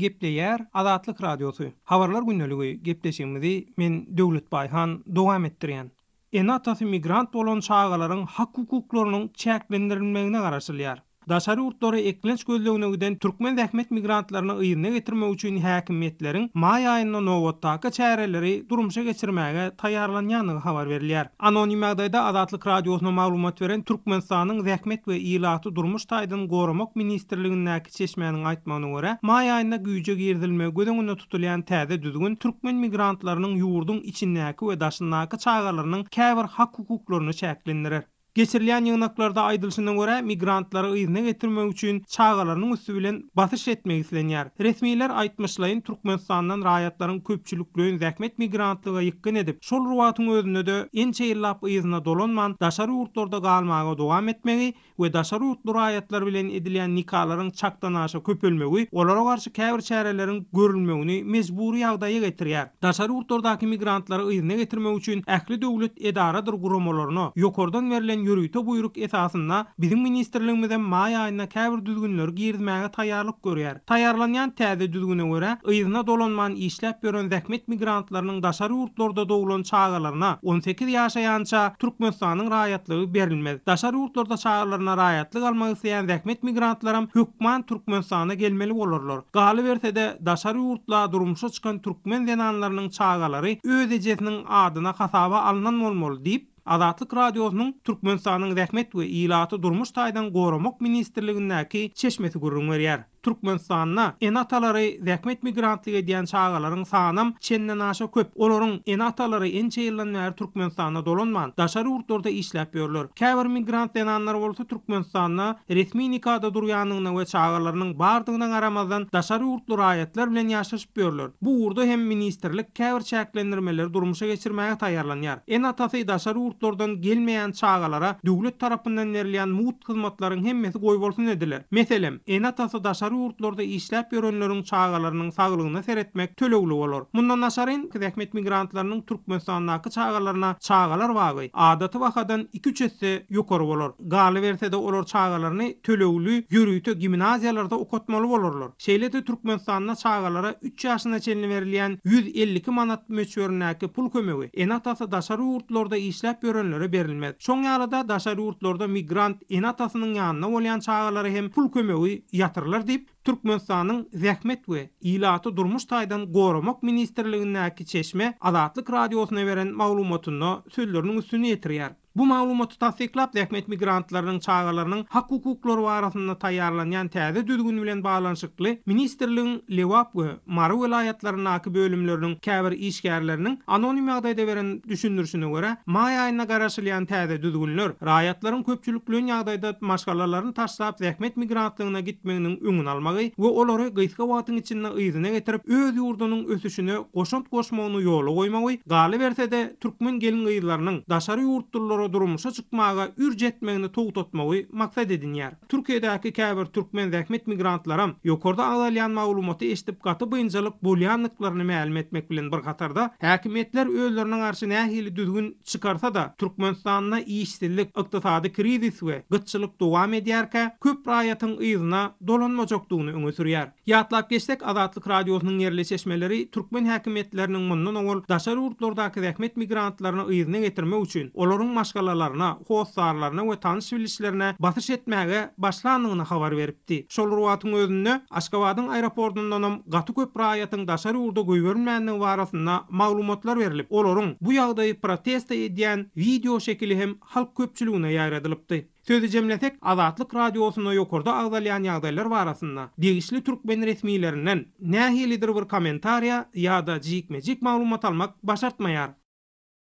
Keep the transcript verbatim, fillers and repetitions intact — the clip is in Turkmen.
Gepleýär Azatlyk Radiosy. Habarlar gündeligi gepleşigimizi men Döwlet Baýhan dowam etdirýän. Ene-atasy migrant bolan çagalaryň hak-hukuklarynyň çäklendirilmegine garaşylýar. Daşary ýurtlara eklenç gözlegine giden türkmen zähmet migrantlaryny yzyna getirmek üçin häkimiýetleriň maý aýynda nobatdaky çäreleri durmuşa geçirmäge taýýarlanýandygy habar berilýär. Anonim ýagdaýda Azatlyk Radiosyna maglumat beren Türkmenistanyň Zähmet we ilaty durmuş taýdan goramak ministrligindäki çeşmäniň aýtmagyna görä, maý aýynda güýje girizilmegi göz öňünde tutulýan täze düzgün türkmen migrantlarynyň ýurduň içindäki we daşyndaky çagalarynyň käbir hak-hukuklaryny çäklendirer. Geçirilýän ýygnaklarda aýdylyşyna görä, migrantlary yzyna getirmek üçin çagalarynyň üsti bilen basyş etmek islenýär. Resmiler aýtmyşlaýyn Türkmenistandan raýatlaryň köpçülikleýin zähmet migrantlyga ýykgyn edip, şol wagtyň özünde-de ençe ýyllap yzyna dolanman daşary ýurtlarda galmaga dowam etmegi we daşary ýurtly raýatlar bilen edilýän nikalaryň çakdan aşa köpelmegi olara garşy käbir çäreleriň görülmegini mejbury ýagdaýa getirýär. Daşary ýurtlardaky migrantlary yzyna getirmek üçin ähli döwlet edaradyr guramalaryna ýokardan berlen ýörite buýruk esasynda biziň ministrligimize maý aýynda käbir düzgünleri girizmäge taýýarlyk görýär. Taýýarlanýan täze düzgüne görä, yzyna dolanman işläp ýören zähmet migrantlarynyň daşary ýurtlarda doglan çagalaryna on sekiz ýaşaýança Türkmenistanyň raýatlygy berilmez. Daşary ýurtlarda çagalaryna raýatlyk almak isleýän zähmet migrantlaram hökman Türkmenistana gelmeli bolarlar. Galyberse-de daşary ýurtla durmuşa çykan türkmen zenanlarynyň çagalary öz ejesiniň adyna hasaba alynan bolmaly diýip, Azatlyk Radiosynyň Türkmenistanyň Zähmet we ilaty durmuş taýdan goramak ministrligindäki çeşmesi gürrüň berýär. Türkmenistanda ene-atalary zähmet migrantlyk edýän çagalaryň sanam çenden aşa köp. Olaryň ene-atalary ençe ýyldan bäri Türkmenistanda dolanman, daşary ýurtlarda işläp ýörler. Käbir migrant zenanlar bolsa Türkmenistanda resmi nikada durýandygyna we çagalarynyň bardygyna garamazdan daşary ýurtly raýatlar bilen ýaşaşyp ýörler. Bu ugurda hem ministrlik käbir çäklendirmeleri durmuşa geçirmäge taýýarlanýar. Ene-atasy daşary ýurtlardan gelmeýän çagalara döwlet tarapyndan berilýän mugt hyzmatlaryň hemmesi goýbolsun ediler. Meselem, ene-atasy daşary ýurtlarda işläp ýörenleriň çagalarynyň saglygyna seretmek tölegli bolar. Mundan daşary zähmet migrantlarynyň Türkmenistandaky çagalaryna çagalar bagy adaty bahadan iki-üç esse ýokary bolar. Galyberse-de olar çagalaryny tölegli ýörite gimnaziýalarda okatmaly bolarlar. Şeýle-de Türkmenistanda çagalara üç ýaşyna çenli berilýän ýüz elli iki manat möçberindäki pul kömegi ene-atasy daşary ýurtlarda işläp ýörenlere berilmez. Şoň ýaly-da daşary ýurtlarda migrant ene-atasynyň ýanynda bolýan çagalara hem pul kömegi ýatyrylar diýip, Türkmenistanyň Zähmet we ilaty durmuş taýdan goramak ministrligindäki çeşme Azatlyk Radiosyna beren maglumatynda sözleriniň üstüni ýetirýär. Bu maglumaty tassyklap zähmet migrantlarynyň çagalarynyň hak-hukuklary barasynda taýýarlanýan täze düzgün bilen baglanyşykly ministrligiň Lebap we Mary welaýatlaryndaky bölümleriniň käbir işgärleriniň anonim ýagdaýda beren düşündirişine görä, maý aýynda garaşylýan täze düzgünler raýatlaryň köpçülikleýin ýagdaýda maşgalalaryny taşlap zähmet migrantlygyna gitmeginiň öňüni almagy we olary gysga wagtyň içinde yzyna getirip öz ýurdunyň ösüşine goşant goşmagyny ýola goýmagy, galyberse-de türkmen gelin-gyzlarynyň daşary ýurtlulara durmuşa çykmaga ürç etmegini togtatmagy maksat edinýär. Türkiýedäki käbir türkmen zähmet migrantlaram ýokarda agzalýan maglumaty eşidip gaty bynjalyk bolýandyklaryny mälim etmek bilen bir hatarda häkimiýetler özlerine garşy nähili düzgün çykarsa-da Türkmenistanda işsizlik, ykdysady krizis we gytçylyk dowam edýärkä köp raýatyň yzyna dolanmajakdygyny öňe sürýär. Ýatlap geçsek Azatlyk Radiosynyň ýerli çeşmeleri türkmen häkimiýetleriniň mundan owal daşary ýurtlardaky zähmet migrantlaryny yzyna getirmek üçin olaryň maşgalalaryna, hossarlaryna we tanyş bilişlerine basyş etmäge başlandygyny habar beripdi. Şol wagtyň özünde Aşgabadyň aeroportundanam gaty köp raýatyň daşary ýurda goýberilmändigi barasynda maglumatlar berilip, olaryň bu ýagdaýy protest edýän video şekili hem halk köpçüligine ýaýradylypdy. Sözi jemlesek Azatlyk Radiosyna ýokarda agzalýan ýagdaýlar barasynda degişli türkmen resmilerinden nähilidir bir kommentariýa ýa-da jikme-jik maglumat almak başartmaýar.